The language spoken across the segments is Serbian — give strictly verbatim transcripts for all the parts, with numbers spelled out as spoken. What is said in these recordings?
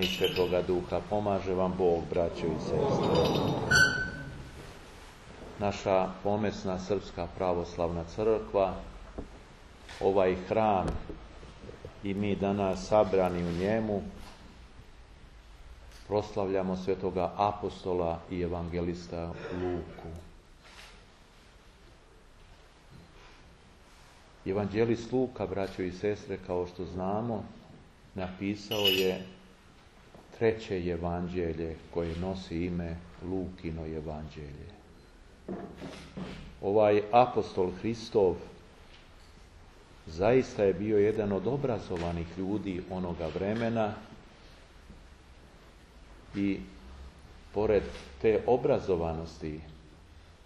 i Svetoga Duha. Pomaže vam Bog, braćo i sestre. Naša pomesna Srpska pravoslavna crkva, ovaj hram i mi danas sabrani u njemu, proslavljamo svetoga apostola i evangelista Luku. Evangelist Luka, braćo i sestre, kao što znamo, napisao je treće evanđelje koje nosi ime Lukino evanđelje. Ovaj apostol Hristov zaista je bio jedan od obrazovanih ljudi onoga vremena i pored te obrazovanosti,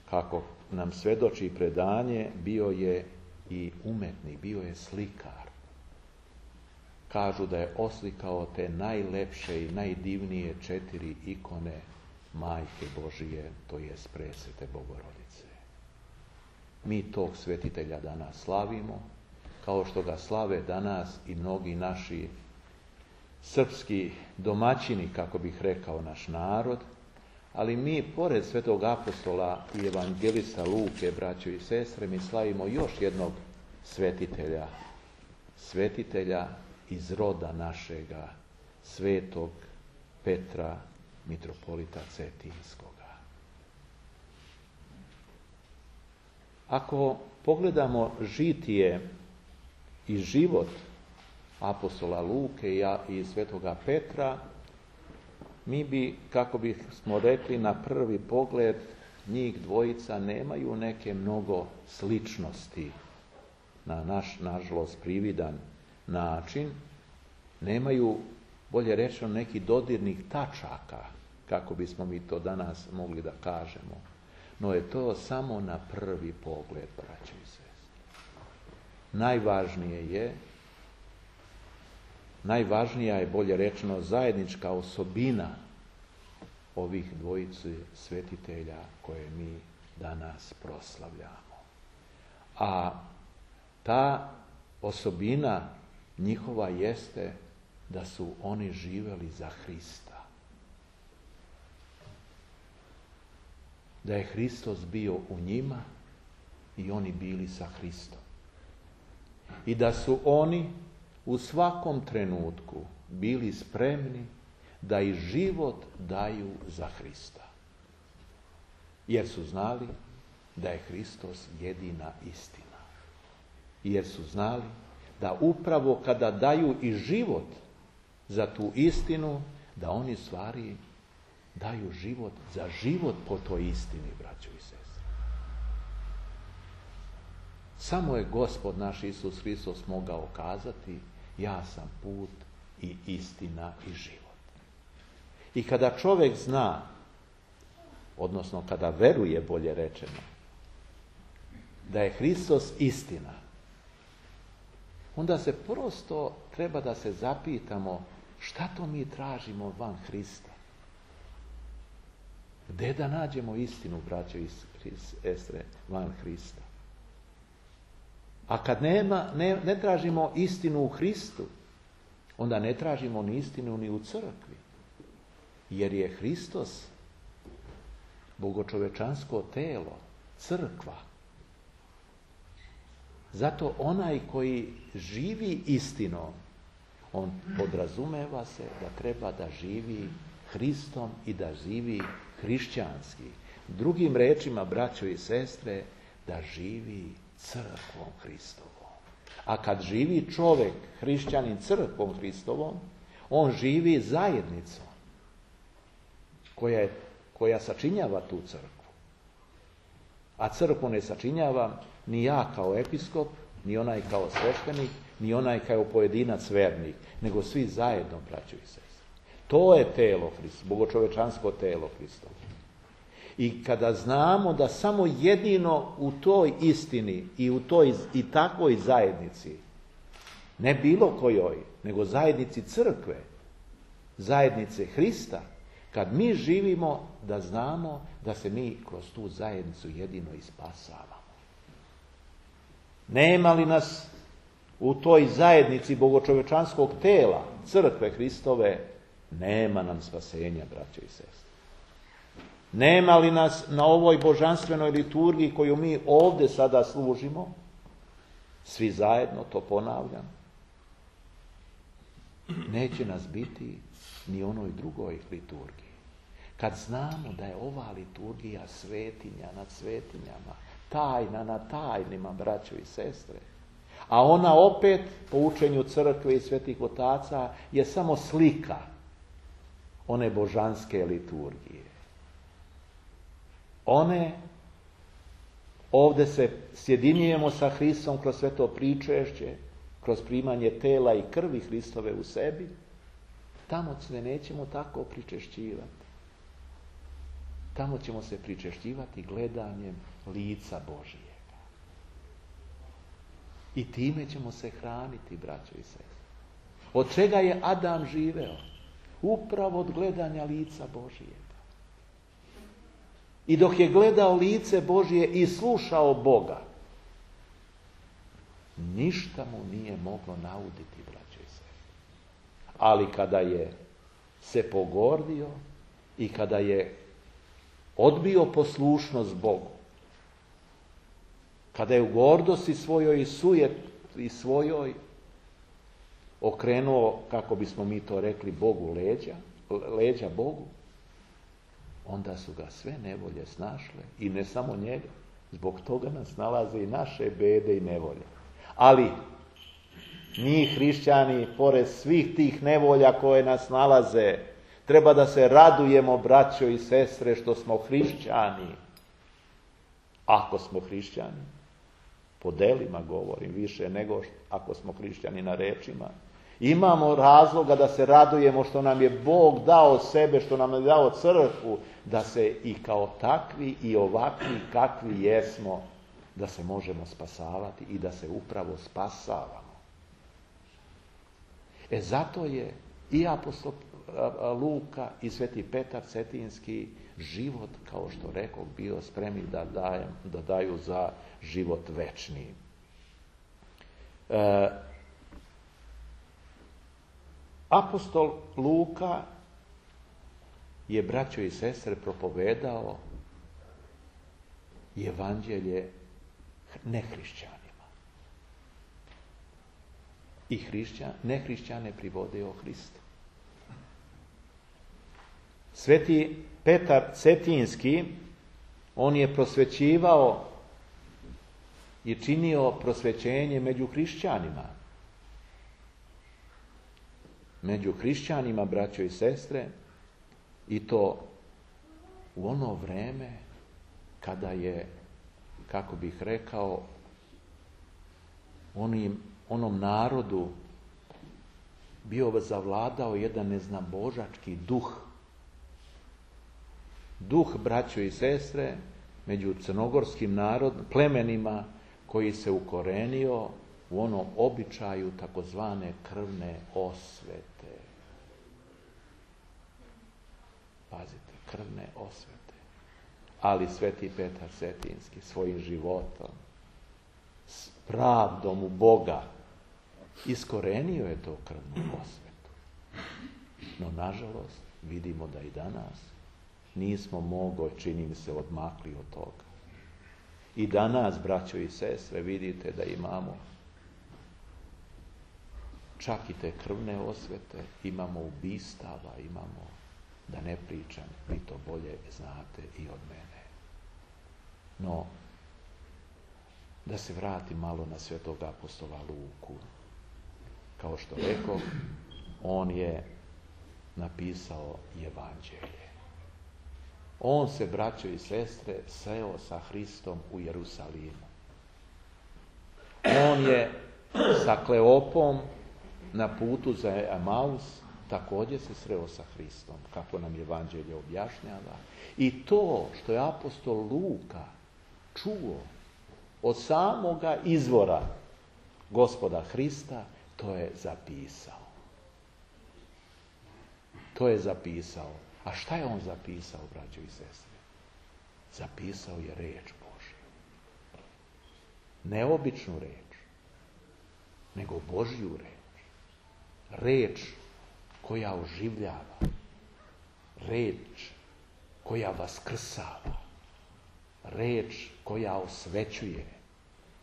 kako nam svedoči predanje, bio je i umetnik, bio je slikar. Kažu da je oslikao te najlepše i najdivnije četiri ikone Majke Božije, to jest presvete Bogorodice. Mi tog svetitelja danas slavimo, kao što ga slave danas i mnogi naši srpski domaćini, kako bih rekao, naš narod, ali mi, pored svetog apostola i evangelista Luke, braćo i sestre, mi slavimo još jednog svetitelja, svetitelja iz roda našega, svetog Petra, mitropolita Cetinskoga. Ako pogledamo žitije i život apostola Luke i svetoga Petra, mi bi, kako bismo rekli, na prvi pogled njih dvojica nemaju neke mnogo sličnosti na naš, nažalost, prividan način, nemaju, bolje rečeno, neki dodirnih tačaka, kako bismo mi to danas mogli da kažemo. No je to samo na prvi pogled, braćo i sestre. Najvažnije je, najvažnija je, bolje rečeno, zajednička osobina ovih dvojice svetitelja koje mi danas proslavljamo. A ta osobina njihova jeste da su oni živeli za Hrista. Da je Hristos bio u njima i oni bili sa Hristom. I da su oni u svakom trenutku bili spremni da i život daju za Hrista. Jer su znali da je Hristos jedina istina. Jer su znali da upravo kada daju i život za tu istinu, da oni stvari daju život za život po toj istini, braćo i sestre. Samo je Gospod naš Isus Hristos mogao kazati: ja sam put i istina i život. I kada čovjek zna, odnosno kada veruje, bolje rečeno, da je Hristos istina, onda se prosto treba da se zapitamo šta to mi tražimo van Hrista. Gde da nađemo istinu, braćo i sestre, van Hrista? A kad nema, ne, ne tražimo istinu u Hristu, onda ne tražimo ni istinu ni u crkvi. Jer je Hristos bogočovečansko telo, crkva. Zato onaj koji živi istinom, on podrazumeva se da treba da živi Hristom i da živi hrišćanski. Drugim rečima, braćo i sestre, da živi crkvom Hristovom. A kad živi čovjek, hrišćanin, crkvom Hristovom, on živi zajednicom koja, je, koja sačinjava tu crkvu. A crkvu ne sačinjava ni ja kao episkop, ni onaj kao sveštenik, ni onaj kao pojedinac vernik, nego svi zajedno, braćo i sestre. To je telo Hristovo, bogočovečansko telo Hristovo. I kada znamo da samo jedino u toj istini i u toj i takvoj zajednici, ne bilo kojoj, nego zajednici crkve, zajednice Hrista, kad mi živimo, da znamo da se mi kroz tu zajednicu jedino i spasavamo. Nema li nas u toj zajednici bogočovečanskog tela, crkve Hristove, nema nam spasenja, braćo i sestre. Nema li nas na ovoj božanstvenoj liturgiji koju mi ovdje sada služimo, svi zajedno, to ponavljam, neće nas biti ni onoj drugoj liturgiji. Kad znamo da je ova liturgija svetinja nad svetinjama, tajna nad tajnima, braćo i sestre, a ona opet, po učenju crkve i svetih otaca, je samo slika one božanske liturgije. One, ovdje se sjedinjujemo sa Hristom kroz sveto pričešće, kroz primanje tela i krvi Hristove u sebi, tamo se nećemo tako pričešćivati. Tamo ćemo se pričešćivati gledanjem lica Božijega. I time ćemo se hraniti, braćo i sestre. Od čega je Adam živeo? Upravo od gledanja lica Božijega. I dok je gledao lice Božije i slušao Boga, ništa mu nije moglo nauditi, braćo i sestre. Ali kada je se pogordio i kada je odbio poslušnost Bogu, kada je u gordosti svojoj i sujeti svojoj okrenuo, kako bismo mi to rekli, Bogu leđa, leđa Bogu, onda su ga sve nevolje snašle i ne samo njega. Zbog toga nas nalaze i naše bede i nevolje. Ali mi hrišćani, pored svih tih nevolja koje nas nalaze, treba da se radujemo, braćo i sestre, što smo hrišćani. Ako smo hrišćani, po delima govorim, više nego ako smo hrišćani na rečima, imamo razloga da se radujemo što nam je Bog dao sebe, što nam je dao crkvu, da se i kao takvi i ovakvi kakvi jesmo, da se možemo spasavati i da se upravo spasavamo. E zato je i apostol Luka i sveti Petar Cetinski život, kao što rekao, bio spremni da, dajem, da daju za život večni. E, apostol Luka je, braćo i sestre, propovedao evanđelje nehrišćanima. I hrišćan, nehrišćane privodio Hristu. Sveti Petar Cetinski, on je prosvećivao i činio prosvećenje među hrišćanima. Među hrišćanima, braćo i sestre, i to u ono vreme kada je, kako bih rekao, onim, onom narodu bio zavladao jedan neznabožački duh. Duh, braćo i sestre, među crnogorskim narod, plemenima koji se ukorenio u onom običaju takozvane krvne osvete. Pazite, krvne osvete. Ali sveti Petar Cetinski svojim životom, s pravdom u Boga, iskorenio je to krvnu osvetu. No, nažalost, vidimo da i danas nismo mogli, čini mi se, odmakli od toga. I danas, braćo i sestre, vidite da imamo čak i te krvne osvete, imamo ubistava, imamo, da ne pričam, vi to bolje znate i od mene. No, da se vrati malo na svetog apostola Luku. Kao što rekao, on je napisao evanđelje. On se, braćo i sestre, sreo sa Hristom u Jerusalimu. On je sa Kleopom na putu za Emaus također se sreo sa Hristom, kako nam evanđelje objašnjava. I to što je apostol Luka čuo od samoga izvora Gospoda Hrista, to je zapisao. To je zapisao. A šta je on zapisao, braćo i sestre? Zapisao je reč Božju. Ne običnu reč, nego Božju reč. Reč koja oživljava, reč koja vaskrsava, reč koja osvećuje,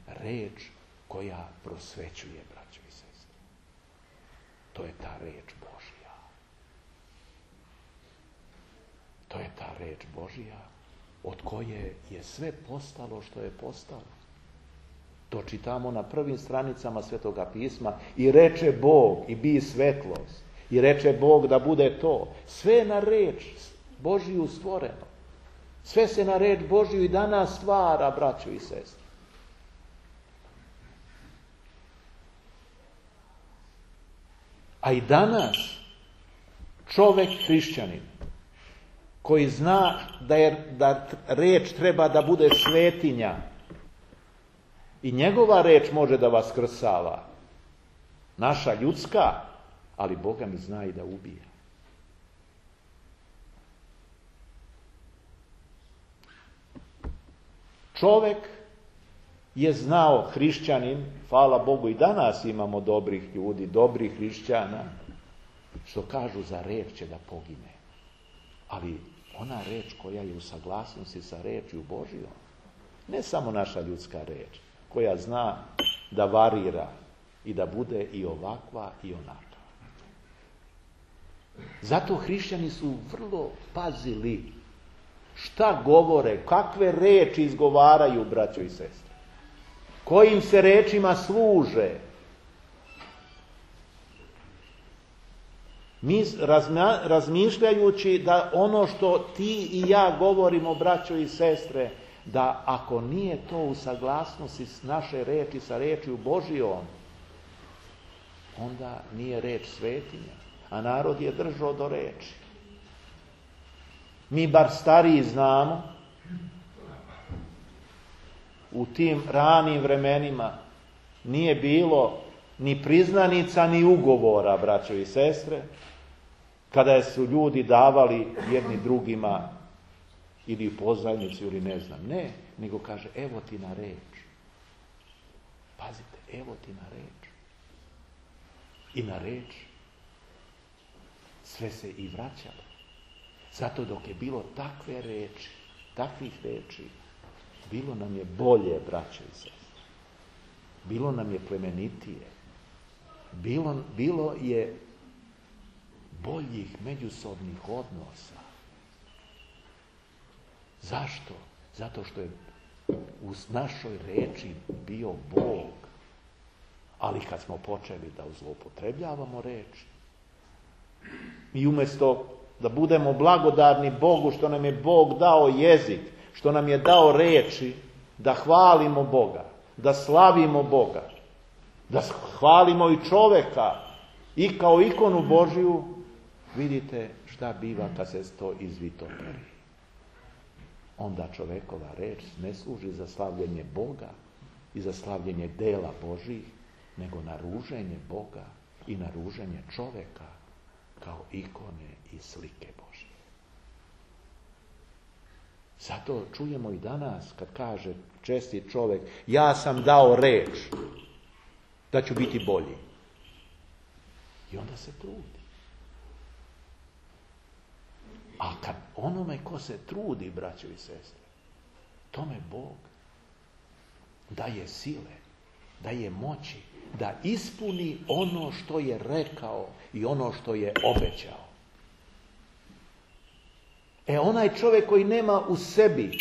reč koja prosvećuje, braćo i sestre. To je ta reč Božja. To je ta reč Božja od koje je sve postalo što je postalo. To čitamo na prvim stranicama Svetoga pisma. I reče Bog i bi svetlost. I reče Bog da bude to. Sve je na reč Božju stvoreno. Sve se na reč Božju i danas stvara, braćo i sestre. A i danas čovjek hrišćanin koji zna da, je, da reč treba da bude svetinja i njegova reč može da vaskrsava. Naša ljudska, ali Boga mi zna i da ubija. Čovjek je znao, hrišćanin, hvala Bogu i danas imamo dobrih ljudi, dobrih hrišćana, što kažu za reč će da pogine. Ali ona reč koja je u saglasnosti sa rečju Božjom, ne samo naša ljudska reč, koja zna da varira i da bude i ovakva i onakva. Zato hrišćani su vrlo pazili šta govore, kakve reči izgovaraju, braćo i sestre, kojim se rečima služe. Mi razmišljajući da ono što ti i ja govorimo, braćo i sestre, da ako nije to u saglasnosti s naše reči sa rečju Božjom, onda nije reč svetinja, a narod je držao do reči. Mi bar stariji znamo, u tim ranim vremenima nije bilo ni priznanica ni ugovora, braćo i sestre, kada su ljudi davali jedni drugima ili pozajmicu ili ne znam. Ne, nego kaže evo ti na reč. Pazite, evo ti na reč. I na reč sve se i vraćalo. Zato dok je bilo takve reči, takvih reči, bilo nam je bolje, braćo i sestre. Bilo nam je plemenitije. Bilo, bilo je boljih međusobnih odnosa. Zašto? Zato što je u našoj reči bio Bog. Ali kad smo počeli da zloupotrebljavamo reč, i umjesto da budemo blagodarni Bogu što nam je Bog dao jezik, što nam je dao reči, da hvalimo Boga, da slavimo Boga, da hvalimo i čoveka i kao ikonu Božju, vidite šta biva kad se to izvitoperi. Onda čovekova reč ne služi za slavljenje Boga i za slavljenje dela Božjih, nego na ruženje Boga i na ruženje čoveka kao ikone i slike Božje. Zato čujemo i danas kad kaže čestit čovjek, ja sam dao reč da ću biti bolji. I onda se trudi. A kad onome ko se trudi, braćo i sestre, tome Bog daje sile, daje moći da ispuni ono što je rekao i ono što je obećao. E onaj čovjek koji nema u sebi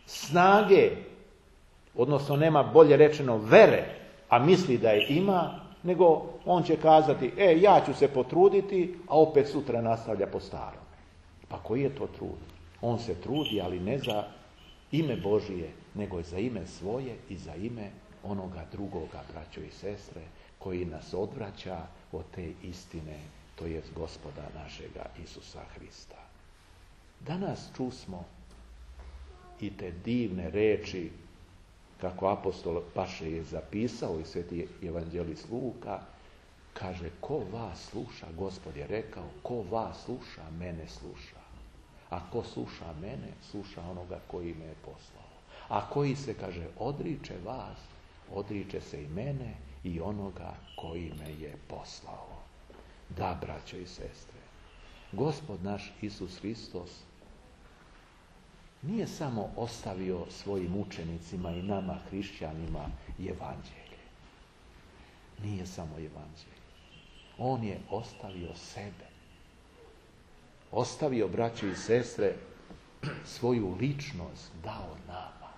snage, odnosno nema bolje rečeno vere, a misli da je ima, nego on će kazati, e ja ću se potruditi, a opet sutra nastavlja po starom. Pa koji je to trud? On se trudi, ali ne za ime Božije, nego za ime svoje i za ime onoga drugoga, braćo i sestre, koji nas odvraća od te istine, to je Gospoda našega Isusa Hrista. Danas čusmo i te divne reči, kako apostol Paše je zapisao i sveti evanđelist Luka, kaže, ko vas sluša, Gospod je rekao, ko vas sluša, mene sluša. A ko sluša mene, sluša onoga koji me je poslao. A koji se, kaže, odriče vas, odriče se i mene i onoga koji me je poslao. Da, braćo i sestre, Gospod naš Isus Hristos nije samo ostavio svojim učenicima i nama, hrišćanima, evanđelje. Nije samo evanđelje. On je ostavio sebe. Ostavio, braćo i sestre, svoju ličnost dao nama.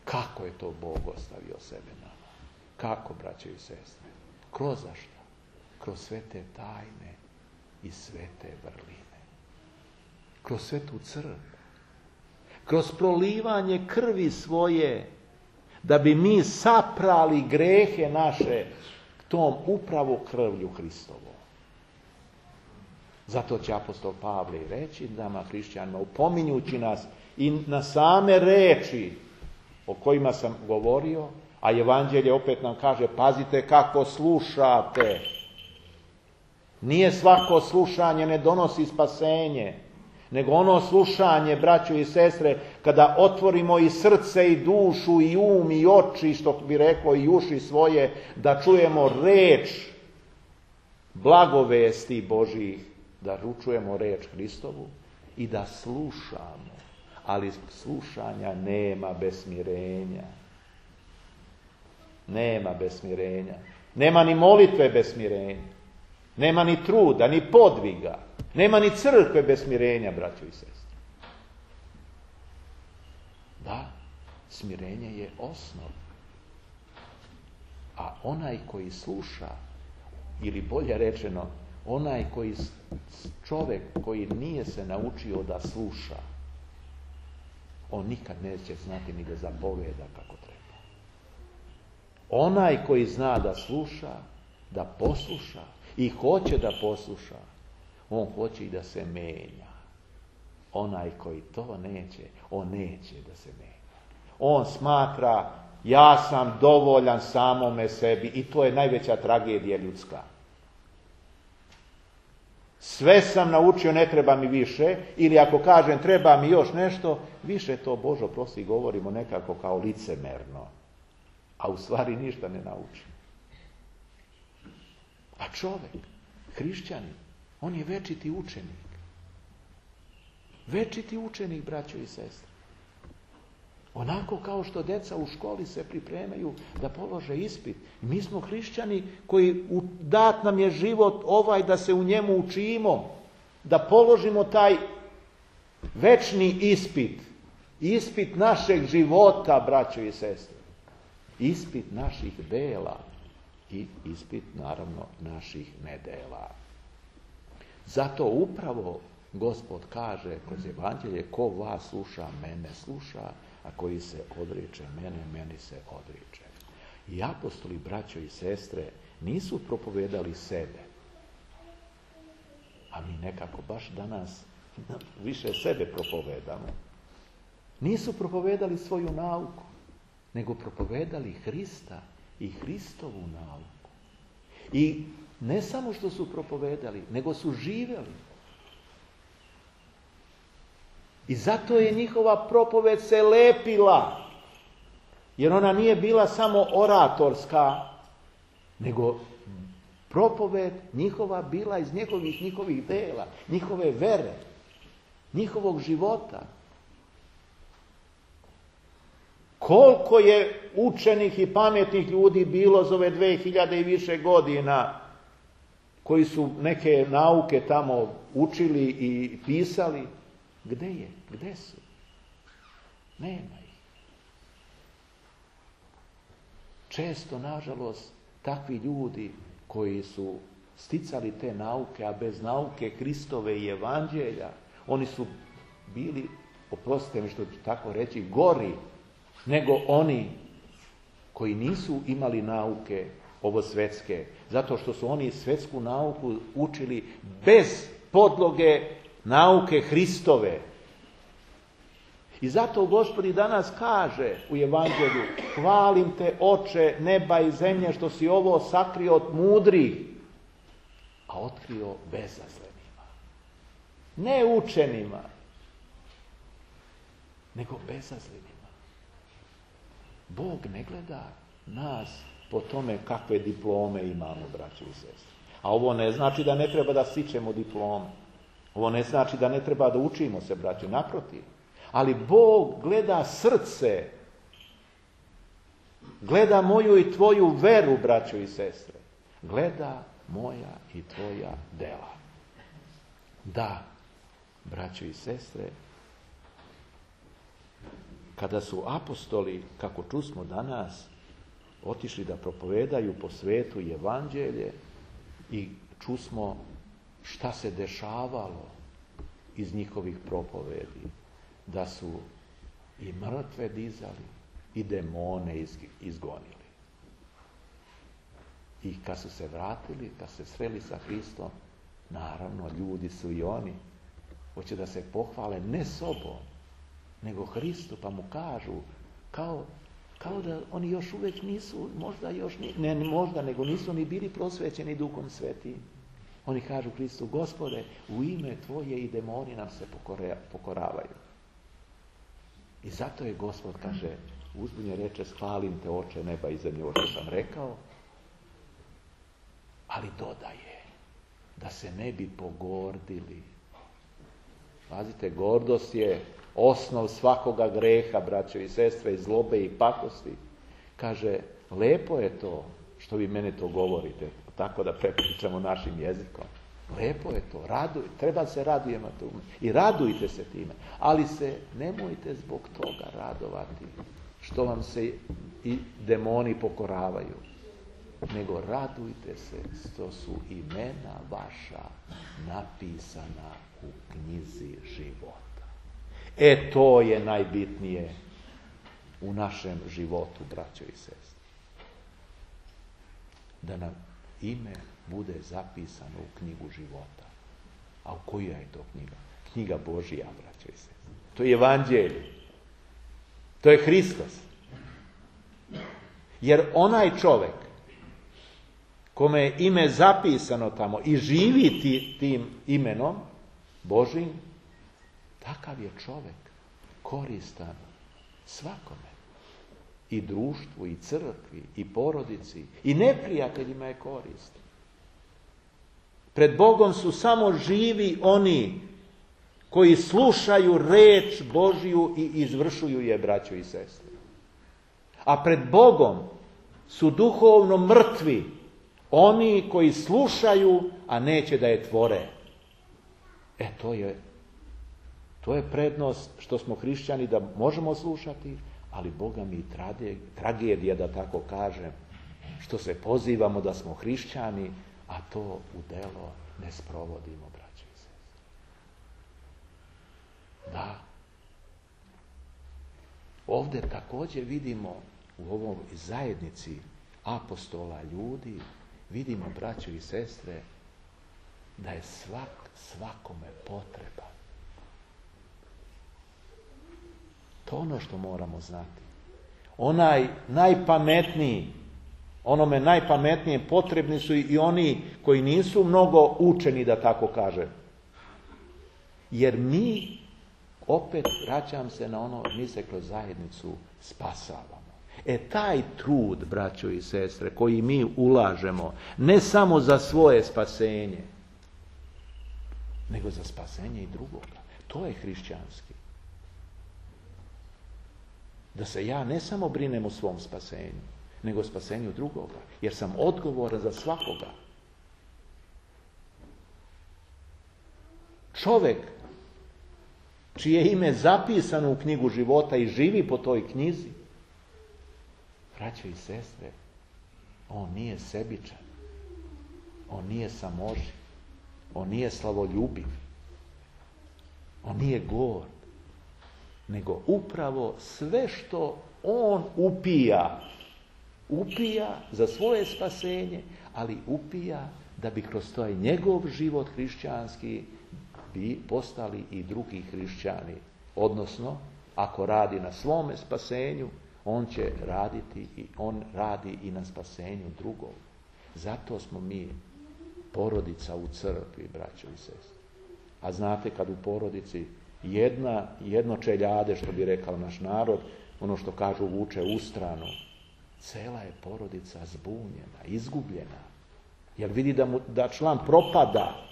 Kako je to Bog ostavio sebe nama? Kako, braćo i sestre? Kroz zašto? Kroz sve te tajne i sve te vrline. Kroz svetu crkvu. Kroz prolivanje krvi svoje, da bi mi saprali grehe naše tom upravo krvlju Hristovom. Zato će apostol Pavle reći nama, hrišćanima, upominjući nas i na same reči o kojima sam govorio, a evanđelje opet nam kaže, pazite kako slušate. Nije svako slušanje ne donosi spasenje, nego ono slušanje, braćo i sestre, kada otvorimo i srce i dušu i um i oči, što bi reklo i uši svoje, da čujemo reč blagovesti Božih, da čujemo reč Hristovu i da slušamo. Ali slušanja nema bez smirenja. Nema bez smirenja. Nema ni molitve bez smirenja. Nema ni truda, ni podviga. Nema ni crkve bez smirenja, braćo i sestre. Da, smirenje je osnov. A onaj koji sluša, ili bolje rečeno, onaj koji, čovjek koji nije se naučio da sluša, on nikad neće znati ni da zapoveda kako treba. Onaj koji zna da sluša, da posluša i hoće da posluša, on hoće i da se menja. Onaj koji to neće, on neće da se menja. On smatra, ja sam dovoljan samome sebi, i to je najveća tragedija ljudska. Sve sam naučio, ne treba mi više, ili ako kažem treba mi još nešto, više to, Bože oprosti, govorimo nekako kao licemerno, a u stvari ništa ne nauči. A čovjek, hrišćanin, on je večiti učenik. Večiti učenik, braćo i sestre. Onako kao što deca u školi se pripremaju da polože ispit. Mi smo hrišćani koji dat nam je život ovaj da se u njemu učimo, da položimo taj večni ispit. Ispit našeg života, braćo i sestre. Ispit naših dela i ispit, naravno, naših nedela. Zato upravo Gospod kaže kroz evanđelje, ko vas sluša, mene sluša, a koji se odriče mene, meni se odriče. I apostoli, braćo i sestre, nisu propovedali sebe. A mi nekako baš danas više sebe propovedamo. Nisu propovedali svoju nauku, nego propovedali Hrista i Hristovu nauku. I ne samo što su propovedali, nego su živjeli. I zato je njihova propoved se lepila, jer ona nije bila samo oratorska, nego propoved njihova bila iz njihovih, njihovih dela, njihove vere, njihovog života. Koliko je učenih i pametnih ljudi bilo za ove dve hiljade i više godina, koji su neke nauke tamo učili i pisali, gde je? Gde su? Nema ih. Često, nažalost, takvi ljudi koji su sticali te nauke, a bez nauke Hristove i evanđelja, oni su bili, oprostite mi što ću tako reći, gori nego oni koji nisu imali nauke ovo svjetske, zato što su oni svjetsku nauku učili bez podloge nauke Hristove. I zato Gospod i danas kaže u evanđelju, hvalim te, Oče neba i zemlje, što si ovo sakrio od mudrih, a otkrio bezazlenima. Ne učenima, nego bezazlenima. Bog ne gleda nas po tome kakve diplome imamo, braći i sestre. A ovo ne znači da ne treba da stičemo diplome. Ovo ne znači da ne treba da učimo se, braćo, naprotiv. Ali Bog gleda srce. Gleda moju i tvoju veru, braćo i sestre. Gleda moja i tvoja dela. Da, braćo i sestre, kada su apostoli, kako čusmo danas, otišli da propovedaju po svetu evanđelje i čusmo šta se dešavalo iz njihovih propovedi, da su i mrtve dizali i demone izgonili. I kad su se vratili, kad se sreli sa Hristom, naravno, ljudi su i oni, hoće da se pohvale ne sobom, nego Hristu, pa mu kažu, kao, kao da oni još uvijek nisu, možda još, ni, ne možda, nego nisu ni bili prosvećeni Duhom Svetim. Oni kažu Hristu, Gospode, u ime Tvoje i demoni nam se pokoravaju. I zato je Gospod, kaže, uzbunje reče, hvalim te, Oče neba i zemlje, ovo što sam rekao, ali dodaje, da se ne bi pogordili. Pazite, gordost je osnov svakoga greha, braćo i sestre, i zlobe i pakosti. Kaže, lepo je to što vi mene to govorite, tako da prepričamo našim jezikom. Lepo je to, raduj, treba se radujemo tome. I radujte se time, ali se nemojte zbog toga radovati što vam se i demoni pokoravaju, nego radujte se što su imena vaša napisana u knjizi života. E to je najbitnije u našem životu, braćo i sestre. Da nam ime bude zapisano u knjigu života. A u koja je to knjiga? Knjiga Božija, braćo i sestre. To je evanđelje. To je Hristos. Jer onaj čovjek kome je ime zapisano tamo i živi ti, tim imenom Božim, takav je čovjek koristan svakome. I društvu, i crkvi, i porodici, i neprijateljima je koristan. Pred Bogom su samo živi oni koji slušaju reč Božiju i izvršuju je, braćo i sestre. A pred Bogom su duhovno mrtvi oni koji slušaju, a neće da je tvore. E, to je, to je prednost što smo hrišćani, da možemo slušati, ali Boga mi tragedija, da tako kažem, što se pozivamo da smo hrišćani, a to u delo ne sprovodimo, braćo i sestre. Da. Ovdje također vidimo u ovoj zajednici apostola, ljudi, vidimo, braćo i sestre, da je svak svakome potreban. To je ono što moramo znati. Onaj najpametniji, onome najpametnije potrebni su i oni koji nisu mnogo učeni, da tako kažem. Jer mi, opet vraćam se na ono, mi se kroz zajednicu spasavamo. E taj trud, braćo i sestre, koji mi ulažemo, ne samo za svoje spasenje, nego za spasenje i drugoga. To je hrišćanski. Da se ja ne samo brinem o svom spasenju, nego o spasenju drugoga, jer sam odgovoran za svakoga. Čovjek čije ime zapisano u knjigu života i živi po toj knjizi, braćo i sestre, on nije sebičan, on nije samoživ, on nije slavoljubiv, on nije gord, nego upravo sve što on upija, upija za svoje spasenje, ali upija da bi kroz taj njegov život hrišćanski bi postali i drugi hrišćani. Odnosno, ako radi na svome spasenju, on će raditi i on radi i na spasenju drugog. Zato smo mi porodica u crkvi, braćo i sestre. A znate, kad u porodici jedna, jedno čeljade, što bi rekao naš narod, ono što kažu vuče u stranu, cela je porodica zbunjena, izgubljena. Jer vidi da, mu, da član propada.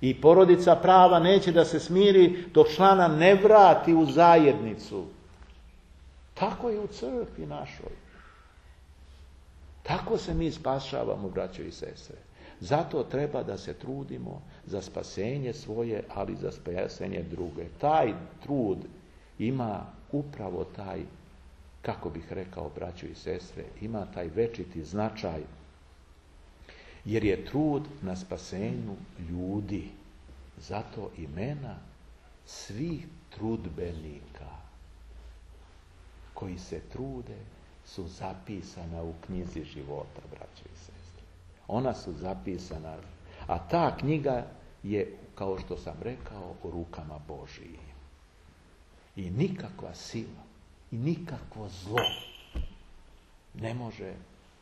I porodica prava neće da se smiri dok člana ne vrati u zajednicu. Tako je u crkvi našoj. Tako se mi spašavamo, braćo i sestre. Zato treba da se trudimo za spasenje svoje, ali za spasenje druge. Taj trud ima upravo taj, kako bih rekao, braćo i sestre, ima taj večiti značaj, jer je trud na spasenju ljudi. Zato imena svih trudbenika koji se trude su zapisana u knjizi života, braćo i sestre. Ona su zapisana, a ta knjiga je, kao što sam rekao, u rukama Božijim. I nikakva sila, i nikakvo zlo ne može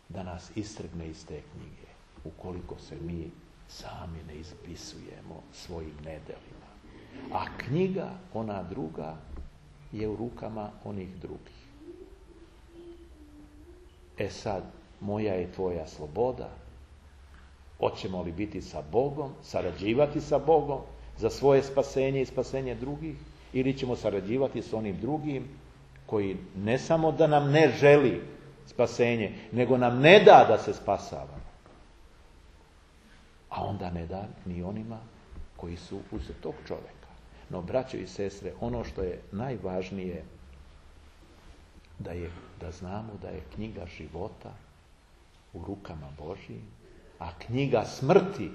da nas istrgne iz te knjige, ukoliko se mi sami ne ispisujemo svojim nedelima. A knjiga, ona druga, je u rukama onih drugih. E sad, moja je tvoja sloboda. Hoćemo li biti sa Bogom, sarađivati sa Bogom za svoje spasenje i spasenje drugih, ili ćemo sarađivati s onim drugim koji ne samo da nam ne želi spasenje, nego nam ne da da se spasavamo. A onda ne da ni onima koji su uz tog čovjeka. No, braćo i sestre, ono što je najvažnije, da, je, da znamo da je knjiga života u rukama Božijim, a knjiga smrti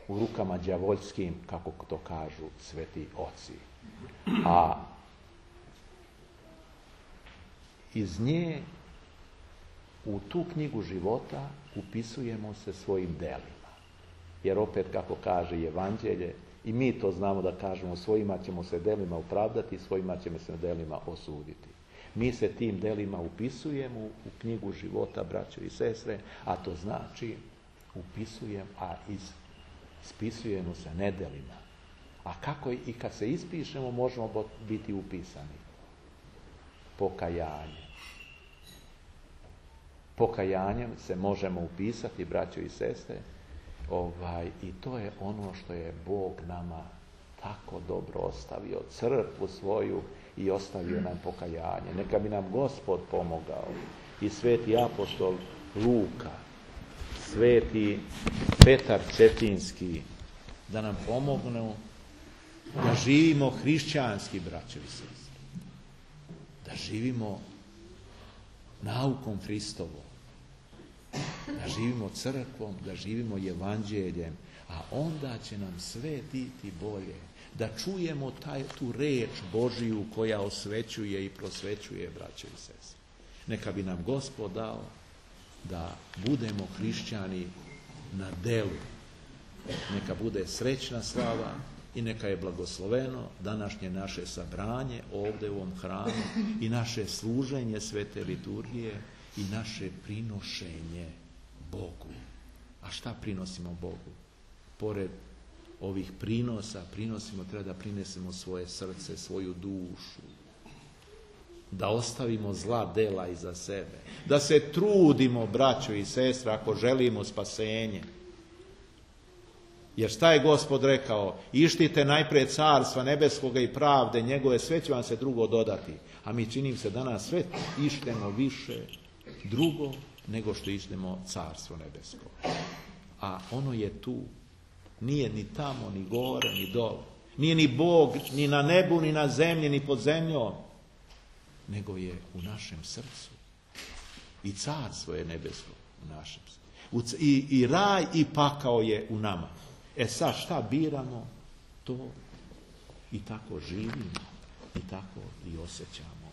u rukama đavoljskim, kako to kažu sveti oci. A iz nje, u tu knjigu života, upisujemo se svojim delima. Jer opet, kako kaže Evanđelje, i mi to znamo da kažemo, svojima ćemo se delima opravdati, svojima ćemo se delima osuditi. Mi se tim delima upisujemo u knjigu života, braćo i sestre, a to znači upisujem, a is, ispisujemo se nedelima. A kako i kad se ispišemo, možemo biti upisani? Pokajanje. Pokajanjem se možemo upisati, braćo i sestre, ovaj, i to je ono što je Bog nama tako dobro ostavio, crkvu svoju, i ostavio nam pokajanje. Neka bi nam Gospod pomogao, i sveti apostol Luka, sveti Petar Cetinski, da nam pomognu da živimo hrišćanski, braćo i sestre, da živimo naukom Hristovom, da živimo crkvom, da živimo evanđeljem, a onda će nam sve biti bolje. Da čujemo taj, tu reč Božiju koja osvećuje i prosvećuje, braćo i sestre. Neka bi nam Gospod dao da budemo hrišćani na delu. Neka bude srećna slava i neka je blagosloveno današnje naše sabranje ovdje u ovom hramu i naše služenje svete liturgije i naše prinošenje Bogu. A šta prinosimo Bogu? Pored ovih prinosa, prinosimo, treba da prinesemo svoje srce, svoju dušu. Da ostavimo zla dela iza sebe. Da se trudimo, braćo i sestre, ako želimo spasenje. Jer šta je Gospod rekao? Ištite najprije carstva nebeskoga i pravde njegove, sve će vam se drugo dodati. A mi, činim se danas, sve ištemo više drugo nego što ištemo carstvo nebesko. A ono je tu. Nije ni tamo, ni gore, ni dole. Nije ni Bog, ni na nebu, ni na zemlji, ni pod zemljom. Nego je u našem srcu. I carstvo je nebesko u našem srcu. I, i raj i pakao je u nama. E sad šta biramo, to i tako živimo. I tako i osjećamo.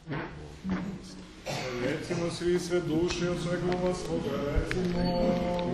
Recimo svi sve duše od svega svoga, recimo...